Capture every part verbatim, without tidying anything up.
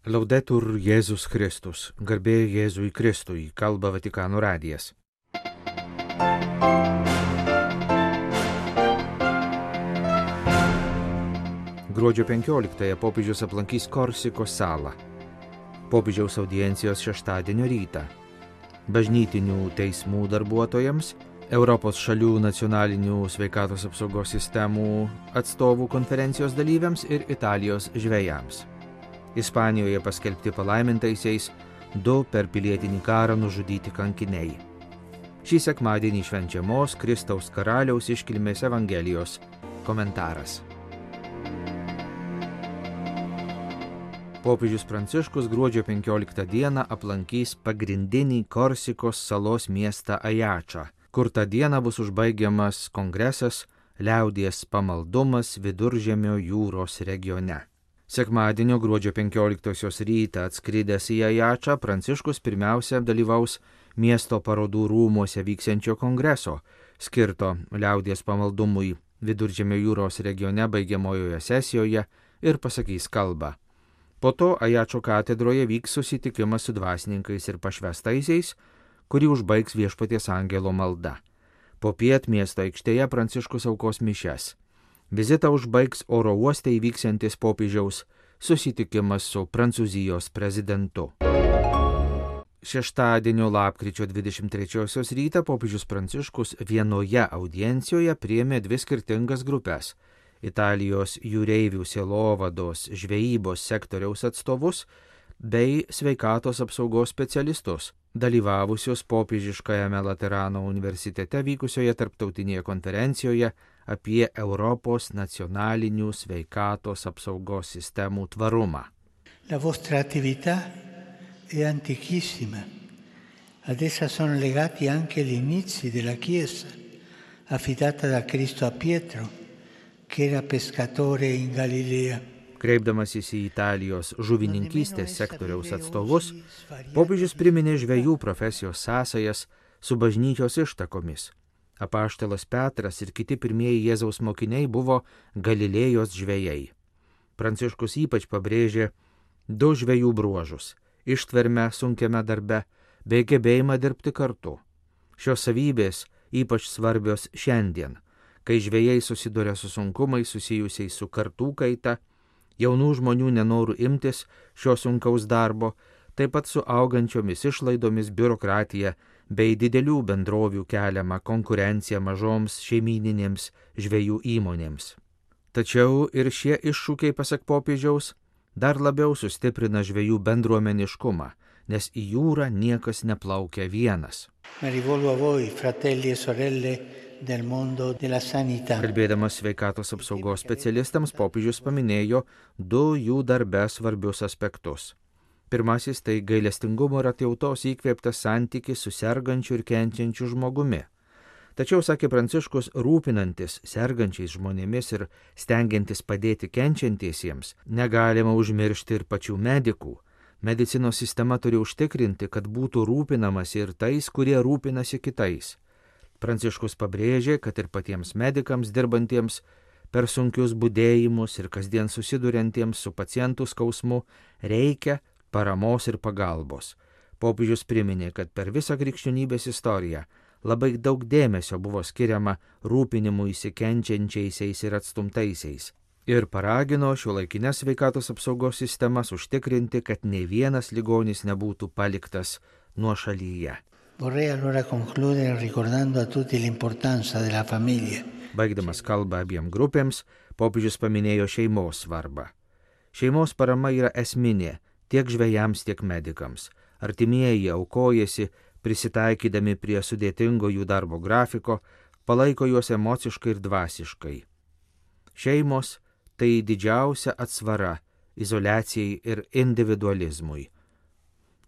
Laudetur Jėzus Kristus, garbė Jėzui Kristui, kalba Vatikano radijas. Gruodžio penkioliktąją popiežius aplankys Korsikos salą. Popiežiaus audiencijos šeštadienio rytą. Bažnytinių teismų darbuotojams, Europos šalių nacionalinių sveikatos apsaugos sistemų atstovų konferencijos dalyviams ir Italijos žvejams. Ispanijoje paskelbti palaimintaisiais du per pilietinį karą nužudyti kankiniai. Šį sekmadienį švenčiamos Kristaus karaliaus iškilmės Evangelijos komentaras. Popiežius Pranciškus gruodžio penkioliktą dieną aplankys pagrindinį Korsikos salos miestą Ajačą, kur tą dieną bus užbaigiamas kongresas Liaudies pamaldumas Viduržemio jūros regione. Sekmadienio gruodžio penkioliktosios rytą atskridęs į Ajačą, Pranciškus pirmiausia dalyvaus miesto parodų rūmuose vyksiančio kongreso, skirto Liaudies pamaldumui Viduržemio jūros regione baigiamojoje sesijoje ir pasakys kalbą. Po to Ajačo katedroje vyks susitikimas su dvasininkais ir pašvestaisiais, kurį užbaigs Viešpaties angelo malda. Popiet miesto aikštėje Pranciškus aukos mišias. Vizitą užbaigs oro uoste įvyksiantis popiežiaus susitikimas su Prancūzijos prezidentu. Šeštadienio lapkričio dvidešimt trečiosios rytą popiežius Pranciškus vienoje audiencijoje priėmė dvi skirtingas grupes – Italijos jūreivių sielovados žvejybos sektoriaus atstovus bei sveikatos apsaugos specialistus, dalyvavusius popiežiškajame Laterano universitete vykusioje tarptautinėje konferencijoje apie Europos nacionalinių sveikatos apsaugos sistemų tvarumą. La vostra attività è antichissima. Ad essa sono legati anche gli inizi della Chiesa, affidata da Cristo a Pietro, che era pescatore in Galilea. Kreipdamasis į Italijos žuvininkystės sektoriaus atstovus, popiežius priminė žvejų profesijos sąsajas su bažnyčios ištakomis. Apaštalas Petras ir kiti pirmieji Jėzaus mokiniai buvo Galilėjos žvejai. Pranciškus ypač pabrėžė du žvejų bruožus – ištvermę sunkiame darbe bei gebėjimą dirbti kartu. Šios savybės ypač svarbios šiandien, kai žvejai susiduria su sunkumais susijusiais su kartų kaita, jaunų žmonių nenoru imtis šio sunkaus darbo, taip pat su augančiomis išlaidomis, biurokratija bei didelių bendrovių keliama konkurencija mažoms šeimyninėms žvejų įmonėms. Tačiau ir šie iššūkiai, pasak popiežiaus, dar labiau sustiprina žvejų bendruomeniškumą, nes į jūrą niekas neplaukia vienas. Kalbėdamas sveikatos apsaugos specialistams, popiežius paminėjo du jų darbe svarbius aspektus. Pirmasis tai gailestingumo ir atjautos įkvėptas santykis su sergančiu ir kenčiančiu žmogumi. Tačiau, sakė Pranciškus, rūpinantis sergančiais žmonėmis ir stengiantis padėti kenčiantiesiems, negalima užmiršti ir pačių medikų. Medicinos sistema turi užtikrinti, kad būtų rūpinamasi ir tais, kurie rūpinasi kitais. Pranciškus pabrėžė, kad ir patiems medikams dirbantiems per sunkius budėjimus ir kasdien susiduriantiems su pacientų skausmu reikia paramos ir pagalbos. Popiežius priminė, kad per visą krikščionybės istoriją labai daug dėmesio buvo skiriama rūpinimui įsikenčiančiaisiais ir atstumtaisiais. Ir paragino šiuolaikinės sveikatos apsaugos sistemas užtikrinti, kad nei vienas ligonis nebūtų paliktas nuošalyje. Vorrei allora concludere ricordando a tutti l'importanza della famiglia. Baigdamas kalbą abiem grupėms, popiežius paminėjo šeimos svarbą. Šeimos parama yra esminė tiek žvejams, tiek medikams. Artimieji aukojasi, prisitaikydami prie sudėtingo jų darbo grafiko, palaiko juos emociškai ir dvasiškai. Šeimos tai didžiausia atsvara izoliacijai ir individualizmui,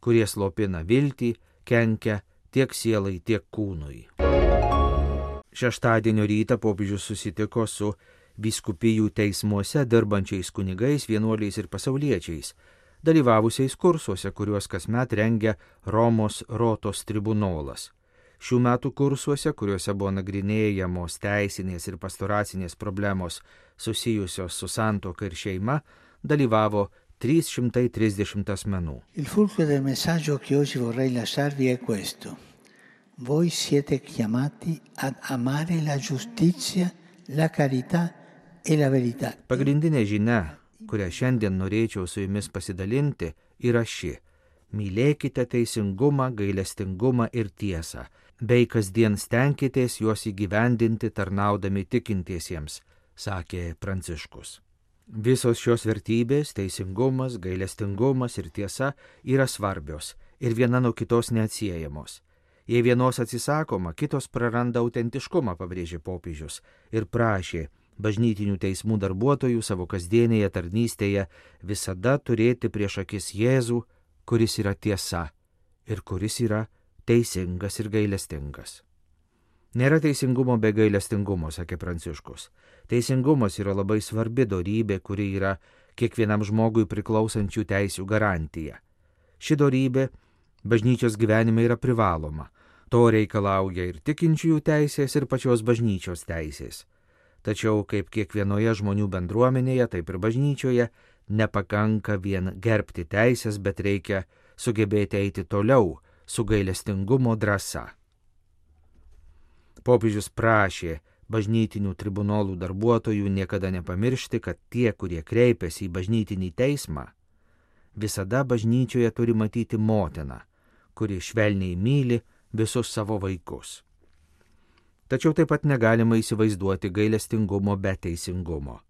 kurie slopina viltį, kenkia tiek sielai, tiek kūnui. Šeštadienio rytą popiežius susitiko su vyskupijų teismuose dirbančiais kunigais, vienuoliais ir pasauliečiais, dalyvavusiais kursuose, kuriuos kasmet rengia Romos Rotos tribunolas. Šių metų kursuose, kuriuose buvo nagrinėjamos teisinės ir pastoracinės problemos susijusios su santuoka ir šeima, dalyvavo trys šimtai trisdešimt asmenų. Il fulcro del messaggio che oggi vorrei lasciarvi è questo. Voi siete chiamati ad amare la giustizia, la carità e la verità. Pagrindinė žinia, kurią šiandien norėčiau su jumis pasidalinti, yra ši. Mylėkite teisingumą, gailestingumą ir tiesą, bei kasdien stenkitės juos įgyvendinti tarnaudami tikintiesiems, sakė Pranciškus. Visos šios vertybės, teisingumas, gailestingumas ir tiesa yra svarbios ir viena nuo kitos neatsiejamos. Jei vienos atsisakoma, kitos praranda autentiškumą, pabrėžė popiežius ir prašė bažnytinių teismų darbuotojų savo kasdienėje tarnystėje visada turėti prieš akis Jėzų, kuris yra tiesa ir kuris yra teisingas ir gailestingas. Nėra teisingumo be gailestingumo, sakė Pranciškus. Teisingumas yra labai svarbi dorybė, kuri yra kiekvienam žmogui priklausančių teisių garantija. Ši dorybė bažnyčios gyvenime yra privaloma. To reikalauja ir tikinčiųjų teisės, ir pačios bažnyčios teisės. Tačiau kaip kiekvienoje žmonių bendruomenėje, taip ir bažnyčioje nepakanka vien gerbti teisės, bet reikia sugebėti eiti toliau su gailestingumo drąsa. Popiežius prašė bažnytinių tribunolų darbuotojų niekada nepamiršti, kad tie, kurie kreipiasi į bažnytinį teismą, visada bažnyčioje turi matyti motiną, kuri švelniai myli visus savo vaikus. Tačiau taip pat negalima įsivaizduoti gailestingumo be teisingumo.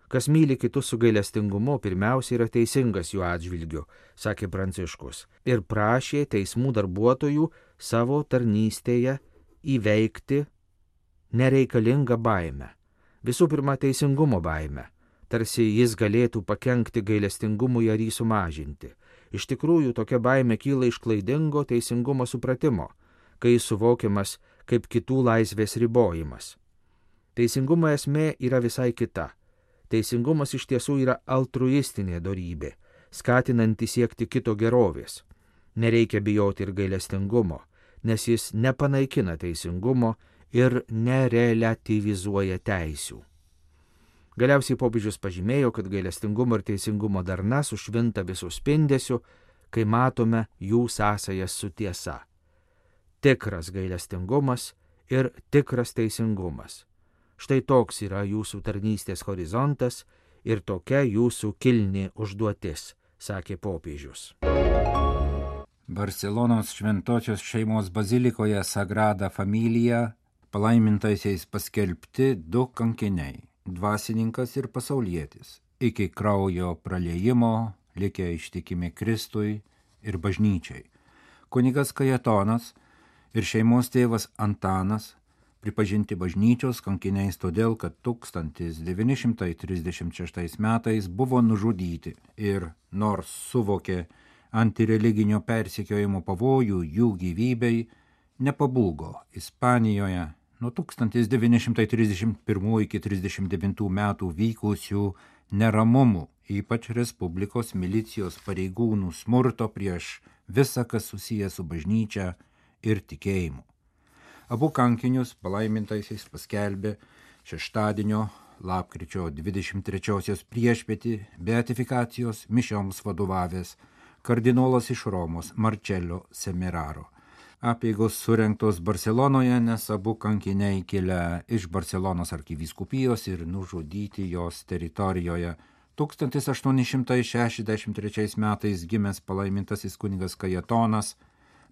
Kas myli kitus su gailestingumu, pirmiausia yra teisingas jų atžvilgiu, sakė Pranciškus, ir prašė teismų darbuotojų savo tarnystėje įveikti nereikalingą baimę. Visų pirma, teisingumo baimę, tarsi jis galėtų pakenkti gailestingumui ar jį sumažinti. Iš tikrųjų, tokia baimė kyla iš klaidingo teisingumo supratimo, kai jis suvokiamas kaip kitų laisvės ribojimas. Teisingumo esmė yra visai kita. Teisingumas iš tiesų yra altruistinė dorybė, skatinanti siekti kito gerovės. Nereikia bijoti ir gailestingumo, nes jis nepanaikina teisingumo ir nerelativizuoja teisių. Galiausiai popiežius pažymėjo, kad gailestingumo ir teisingumo darna sušvinta visų spindesių, kai matome jų sąsajas su tiesa. Tikras gailestingumas ir tikras teisingumas. Štai toks yra jūsų tarnystės horizontas ir tokia jūsų kilni užduotis, sakė popiežius. Barselonos šventosios šeimos bazilikoje Sagrada Familia palaimintaisiais paskelbti du kankiniai – dvasininkas ir pasaulietis, iki kraujo praliejimo likę ištikimi Kristui ir bažnyčiai. Kunigas Kajetonas ir šeimos tėvas Antanas pripažinti bažnyčios kankiniais todėl, kad tūkstantis devyni šimtai trisdešimt šeštais metais buvo nužudyti ir, nors suvokė antireliginio persekiojimo pavojų jų gyvybei, nepabūgo Ispanijoje nuo tūkstantis devyni šimtai trisdešimt pirmųjų iki trisdešimt devintų metų vykusių neramumų, ypač Respublikos milicijos pareigūnų smurto prieš visą, kas susijęs su bažnyčia ir tikėjimu. Abu kankinius palaimintaisiais paskelbė šeštadienio lapkričio dvidešimt trečiosios priešpietį beatifikacijos mišioms vadovavęs kardinolas iš Romos Marcello Semeraro. Apeigos surengtos Barselonoje, nes abu kankiniai kilę iš Barselonos arkivyskupijos ir nužudyti jos teritorijoje. tūkstantis aštuoni šimtai šešiasdešimt trečiais metais gimęs palaimintasis kunigas Kajetonas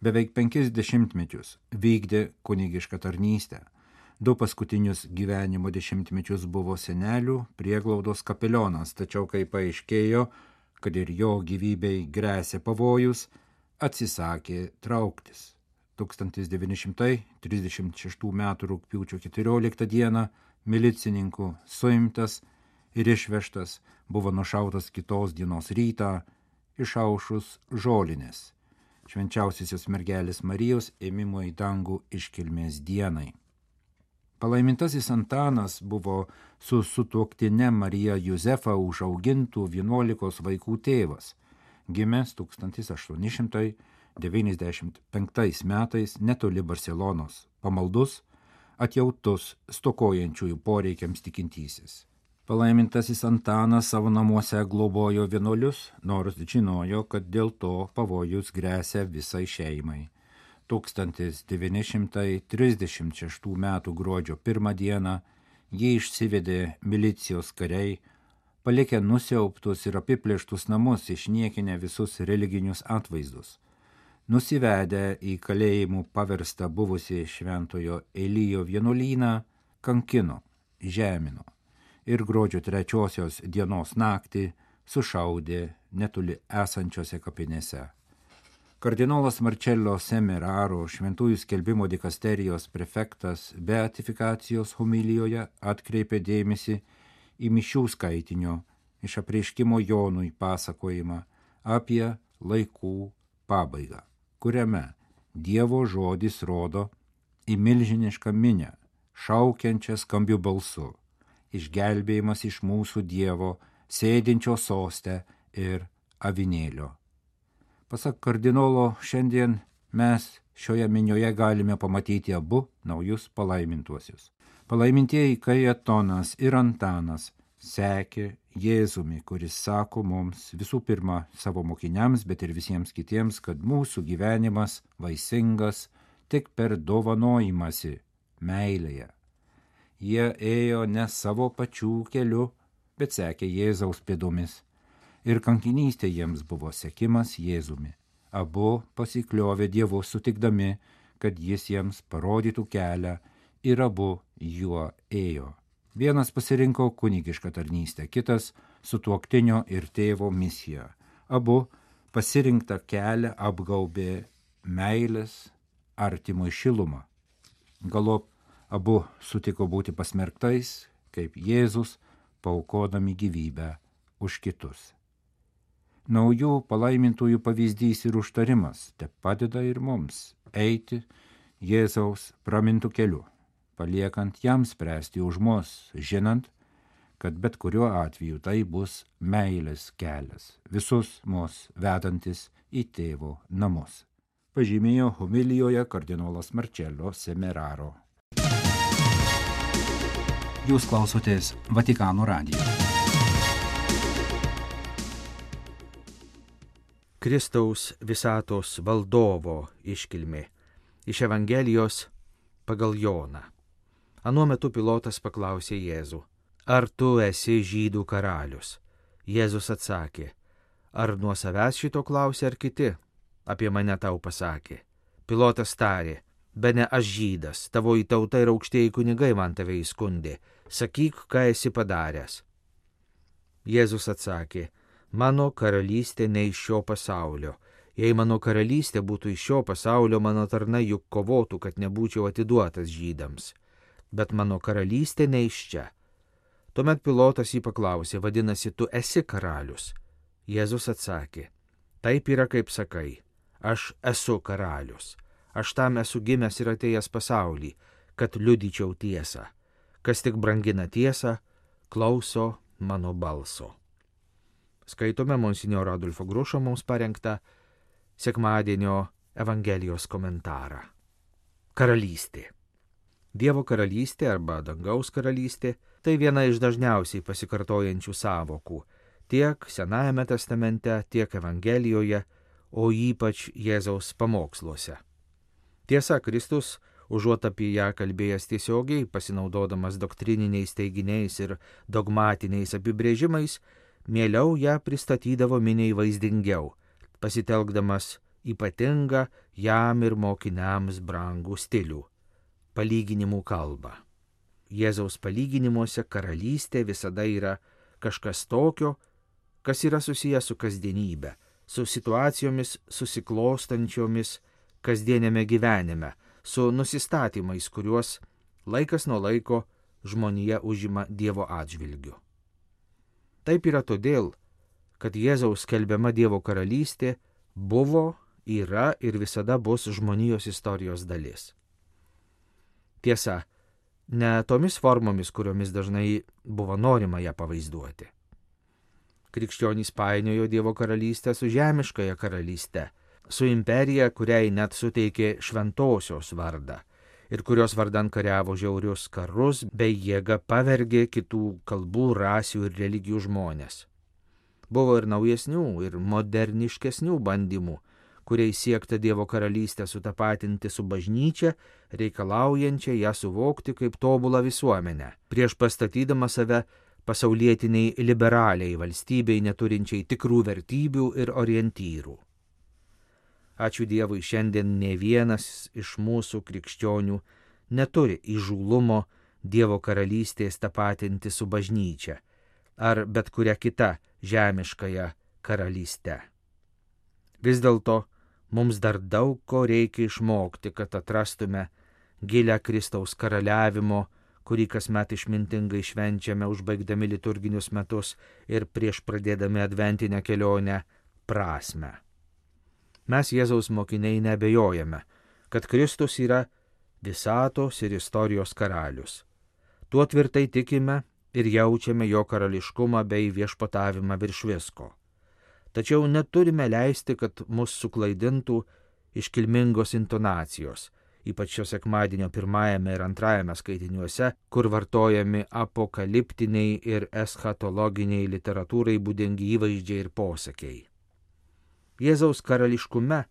beveik penkis dešimtmečius vykdė kunigišką tarnystę. Du paskutinius gyvenimo dešimtmečius buvo senelių prieglaudos kapelionas, tačiau kai paaiškėjo, kad ir jo gyvybei gresia pavojus, atsisakė trauktis. tūkstantis devyni šimtai trisdešimt šeštų metų rugpjūčio keturioliktą dieną milicininkų suimtas ir išvežtas, buvo nušautas kitos dienos rytą išaušus žolinės, švenčiausiosios mergelės Marijos ėmimo į dangų iškilmės dienai. Palaimintasis Antanas buvo su sutuoktine Marija Jozefa užaugintų vienuolikos vaikų tėvas, gimęs tūkstantis aštuoni šimtai devyniasdešimt penktais metais netoli Barselonos, pamaldus, atjautus stokojančiųjų poreikiams tikintysis. Palaimintasis Antanas savo namuose globojo vienuolius, nors žinojo, kad dėl to pavojus grėsia visai šeimai. tūkstantis devyni šimtai trisdešimt šeštų metų gruodžio pirmą dieną jį išsivedė milicijos kariai, palikę nusiaubtus ir apiplėštus namus, išniekinę visus religinius atvaizdus. Nusivedę į kalėjimų paverstą buvusį šventojo Elijo vienuolyną, kankino, žemino ir gruodžio trečiosios dienos naktį sušaudė netoli esančiose kapinėse. Kardinolas Marcello Semeraro, šventųjų skelbimo dikasterijos prefektas, beatifikacijos homilijoje atkreipė dėmesį į mišių skaitinio iš apreiškimo Jonui pasakojimą apie laikų pabaigą, kuriame Dievo žodis rodo į milžinišką minią, šaukiančią skambiu balsu, išgelbėjimas iš mūsų Dievo, sėdinčio soste ir avinėlio. Pasak kardinolo, šiandien mes šioje minioje galime pamatyti abu naujus palaimintuosius. Palaimintieji Kajetonas ir Antanas sekė Jėzumi, kuris sako mums visų pirma savo mokiniams, bet ir visiems kitiems, kad mūsų gyvenimas vaisingas tik per dovanojimąsi meilėje. Jie ėjo ne savo pačių keliu, bet sekė Jėzaus pėdomis. Ir kankinystė jiems buvo sekimas Jėzumi. Abu pasikliovė Dievu sutikdami, kad jis jiems parodytų kelią ir abu juo ėjo. Vienas pasirinko kunigišką tarnystę, kitas sutuoktinio ir tėvo misiją. Abu pasirinktą kelią apgaubė meilės artimui šilumą. Galop abu sutiko būti pasmerktais, kaip Jėzus, paaukodami gyvybę už kitus. Naujų palaimintųjų pavyzdys ir užtarimas te padeda ir mums eiti Jėzaus pramintų keliu, paliekant jam spręsti už mus, žinant, kad bet kuriuo atveju tai bus meilės kelias, visus mus vedantis į tėvo namus. Pažymėjo homilijoje kardinolas Marcello Semeraro. Jūs klausotės Vatikano radijo. Kristaus visatos valdovo iškilmė iš Evangelijos pagal Joną. Anuo metu Pilotas paklausė Jėzų: Ar tu esi žydų karalius? Jėzus atsakė: Ar nuo savęs šito klausė ar kiti? Apie mane tau pasakė. Pilotas tarė: Bene aš žydas, tavoji tauta ir aukštieji kunigai man tave įskundė. Sakyk, ką esi padaręs. Jėzus atsakė: Mano karalystė ne iš šio pasaulio. Jei mano karalystė būtų iš šio pasaulio, mano tarnai juk kovotų, kad nebūčiau atiduotas žydams. Bet mano karalystė ne iš čia. Tuomet Pilotas jį paklausė: Vadinasi, tu esi karalius? Jėzus atsakė: Taip yra, kaip sakai. Aš esu karalius. Aš tam esu gimęs ir atėjęs pasaulį, kad liudyčiau tiesą. Kas tik brangina tiesą, klauso mano balso. Skaitome monsinjoro Adolfo Grušo mums parengtą sekmadienio Evangelijos komentarą. Karalystė. Dievo karalystė arba dangaus karalystė – tai viena iš dažniausiai pasikartojančių sąvokų tiek Senajame testamente, tiek Evangelijoje, o ypač Jėzaus pamoksluose. Tiesa, Kristus, užuot apie ją kalbėjęs tiesiogiai, pasinaudodamas doktrininiais teiginiais ir dogmatiniais apibrėžimais, mieliau ją pristatydavo miniai vaizdingiau, pasitelkdamas ypatingą jam ir mokiniams brangų stilių – palyginimų kalbą. Jėzaus palyginimuose karalystė visada yra kažkas tokio, kas yra susijęs su kasdienybė, su situacijomis susiklostančiomis kasdienėme gyvenime, su nusistatymais, kuriuos laikas nuo laiko žmonija užima Dievo atžvilgiu. Taip yra todėl, kad Jėzaus skelbiama Dievo karalystė buvo, yra ir visada bus žmonijos istorijos dalis. Tiesa, ne tomis formomis, kuriomis dažnai buvo norima ją pavaizduoti. Krikščionys painiojo Dievo karalystę su žemiškąja karalyste, su imperija, kuriai net suteikė šventosios vardą, ir kurios vardan kariavo žiaurius karus bei jėga pavergė kitų kalbų, rasių ir religijų žmonės. Buvo ir naujesnių, ir moderniškesnių bandymų, kuriais siekta Dievo karalystę sutapatinti su bažnyčia, reikalaujančia ją suvokti kaip tobulą visuomenę, prieš pastatydama save pasaulietiniai liberaliai valstybei neturinčiai tikrų vertybių ir orientyrų. Ačiū Dievui, šiandien ne vienas iš mūsų krikščionių neturi įžūlumo Dievo karalystės tapatinti su bažnyčia ar bet kuria kita žemiškąją karalystę. Vis dėlto mums dar daug ko reikia išmokti, kad atrastume gilę Kristaus karaliavimo, kurį kasmet išmintingai švenčiame užbaigdami liturginius metus ir prieš pradėdami adventinę kelionę, prasmę. Mes Jėzaus mokiniai neabejojame, kad Kristus yra visatos ir istorijos karalius. Tuo tvirtai tikime ir jaučiame jo karališkumą bei viešpatavimą virš visko. Tačiau neturime leisti, kad mus suklaidintų iškilmingos intonacijos, ypač šio sekmadienio pirmajame ir antrajame skaitiniuose, kur vartojami apokaliptiniai ir eschatologiniai literatūrai būdingi įvaizdžiai ir posakiai. Jėzaus karališkume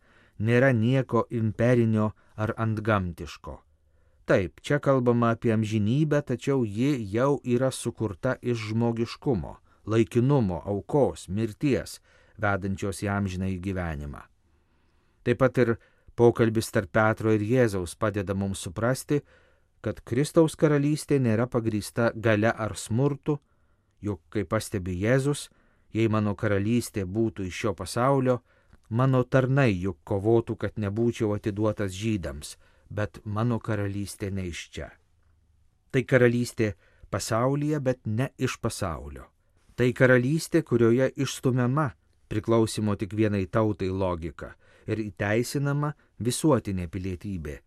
nėra nieko imperinio ar antgamtiško. Taip, čia kalbama apie amžinybę, tačiau ji jau yra sukurta iš žmogiškumo, laikinumo, aukos, mirties, vedančios į amžinąjį gyvenimą. Taip pat ir pokalbis tarp Petro ir Jėzaus padeda mums suprasti, kad Kristaus karalystė nėra pagrįsta galia ar smurtu, juk, kaip pastebi Jėzus, jei mano karalystė būtų iš šio pasaulio, mano tarnai juk kovotų, kad nebūčiau atiduotas žydams, bet mano karalystė ne iš čia. Tai karalystė pasaulyje, bet ne iš pasaulio. Tai karalystė, kurioje išstumiama priklausimo tik vienai tautai logika ir įteisinama visuotinė pilietybė,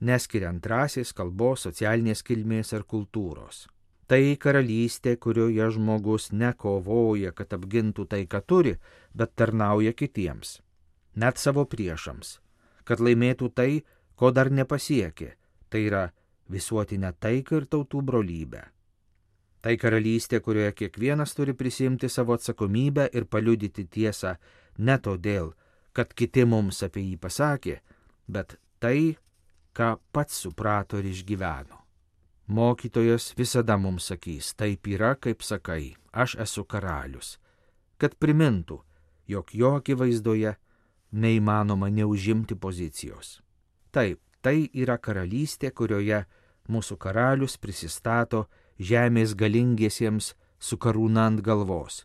neskiriant rasės, kalbos, socialinės kilmės ar kultūros. Tai karalystė, kurioje žmogus nekovoja, kad apgintų tai, ką turi, bet tarnauja kitiems, net savo priešams, kad laimėtų tai, ko dar nepasiekė, tai yra visuotinę taiką ir tautų brolybę. Tai karalystė, kurioje kiekvienas turi prisimti savo atsakomybę ir paliudyti tiesą ne todėl, kad kiti mums apie jį pasakė, bet tai, ką pats suprato ir išgyveno. Mokytojas visada mums sakys, taip yra, kaip sakai, aš esu karalius, kad primintų, jog jo akivaizdoje neįmanoma neužimti pozicijos. Taip, tai yra karalystė, kurioje mūsų karalius prisistato žemės galingiesiems su karūna ant galvos,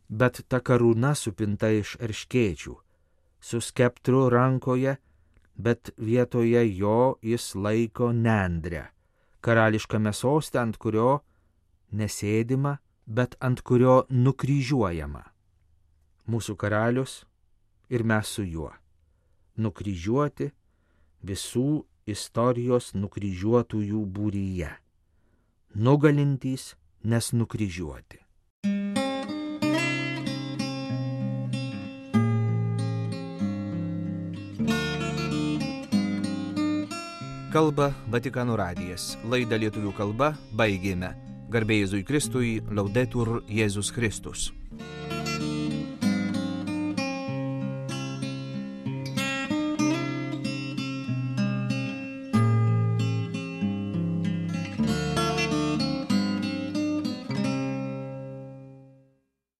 bet ta karūna supinta iš erškėčių, su skeptru rankoje, bet vietoje jo jis laiko nendrę, karališkame soste, ant kurio nesėdima, bet ant kurio nukryžiuojama. Mūsų karalius ir mes su juo, nukryžiuoti visų istorijos nukryžiuotųjų būryje. Nugalintys, nes nukryžiuoti. Kalba Vatikano radijas. Laidą lietuvių kalba baigėme. Garbė Jėzui Kristui, Laudetur Jėzus Kristus.